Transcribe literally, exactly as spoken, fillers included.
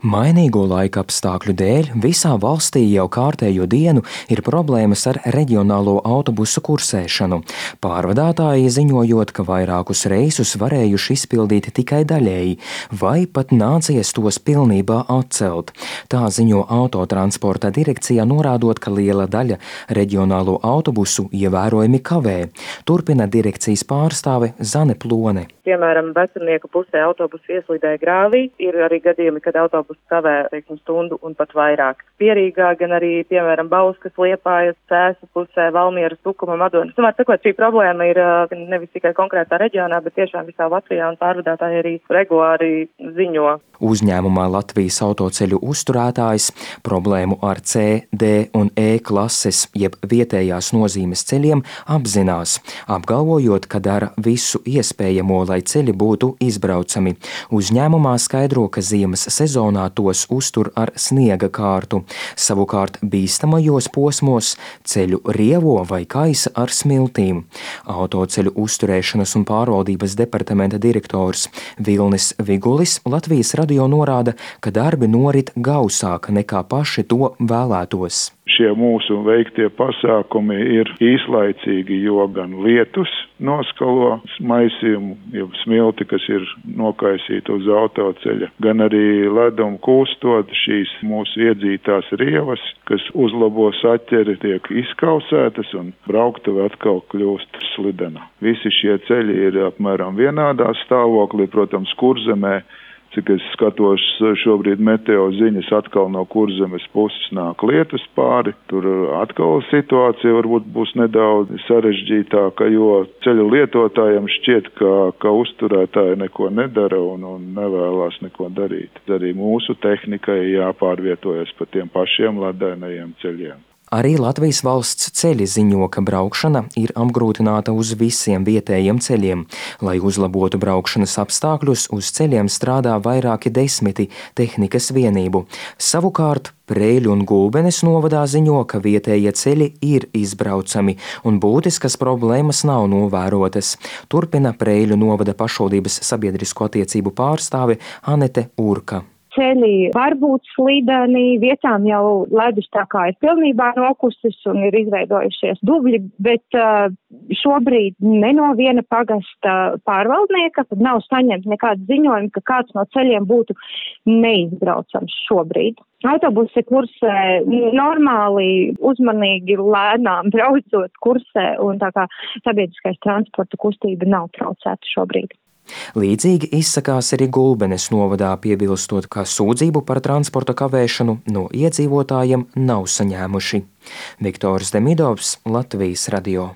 Mainīgo laika apstākļu dēļ visā valstī jau kārtējo dienu ir problēmas ar reģionālo autobusu kursēšanu. Pārvadātāji ziņojot, ka vairākus reisus varējuši izpildīt tikai daļēji, vai pat nācies tos pilnībā atcelt. Tā ziņo Autotransporta direkcija, norādot, ka liela daļa reģionālo autobusu ievērojami kavē. Turpina direkcijas pārstāve Zane Plone. Piemēram, Vecumnieku pusē autobusu ieslīdēja grāvī. Ir arī gadījumi, kad autobusu kavē, teiksim, stundu un pat vairāk. Pierīgā gan arī, piemēram, Bauskas, Liepājas, Cēsu pusē, Valmieras, Tukuma, Madonas. Tomēr, sakot, šī problēma ir nevis tikai konkrētā reģionā, bet tiešām visā Latvijā, un pārvadātāji arī regulāri ziņo. Uzņēmumā Latvijas autoceļu uzturētājs problēmu ar C, D un E klases, jeb vietējās nozīmes ceļiem apzinās, apgalvojot, ka dara visu iespējamo, lai ceļi būtu izbraucami. Uzņēmumā skaidro, ka ziemas sezonā tos uztur ar sniega kārtu, savukārt bīstamajos posmos ceļu rievo vai kaisa ar smiltīm. Autoceļu uzturēšanas un pārvaldības departamenta direktors Vilnis Vigulis Latvijas radio norāda, ka darbi norit gausāk nekā paši to vēlētos. Šie mūsu veiktie pasākumi ir īslaicīgi, jo gan lietus noskalo maisījumu, jau smilti, kas ir nokaisīta uz autoceļa, gan arī ledumu kūstot šīs mūsu iedzītās rievas, kas uzlabo saķeri, tiek izkausētas un brauktava atkal kļūst slidena. Visi šie ceļi ir apmēram vienādā stāvoklī, protams, Kurzemē. Cik es skatos šobrīd meteo ziņas, atkal no Kurzemes puses nāk lietus pāri. Tur atkal situācija varbūt būs nedaudz sarežģītāka, jo ceļu lietotājiem šķiet, ka, ka uzturētāji neko nedara un, un nevēlās neko darīt. Arī mūsu tehnikai jāpārvietojas pa tiem pašiem ledainajiem ceļiem. Arī Latvijas valsts ceļi ziņo, ka braukšana ir apgrūtināta uz visiem vietējiem ceļiem. Lai uzlabotu braukšanas apstākļus, uz ceļiem strādā vairāki desmiti tehnikas vienību. Savukārt Preiļu un Gulbenes novadā ziņo, ka vietējie ceļi ir izbraucami un būtiskas problēmas nav novērotas. Turpina Preiļu novada pašvaldības sabiedrisko attiecību pārstāve Anete Urka. Ceļi var būt slīdeni, vietām jau ledus tā kā ir pilnībā nokusis un ir izveidojušies dubļi, bet uh, šobrīd ne no viena pagasta pārvaldnieka nav saņemts nekāds ziņojums, ka kāds no ceļiem būtu neizbraucams šobrīd. Autobusi kursē normāli, uzmanīgi, lēnām braucot kursē, un tā kā sabiedriskais transporta kustība nav traucēta šobrīd. Līdzīgi izsakās arī Gulbenes novadā, piebilstot, ka sūdzību par transporta kavēšanu no iedzīvotājiem nav saņēmuši. Viktors Demidovs, Latvijas radio.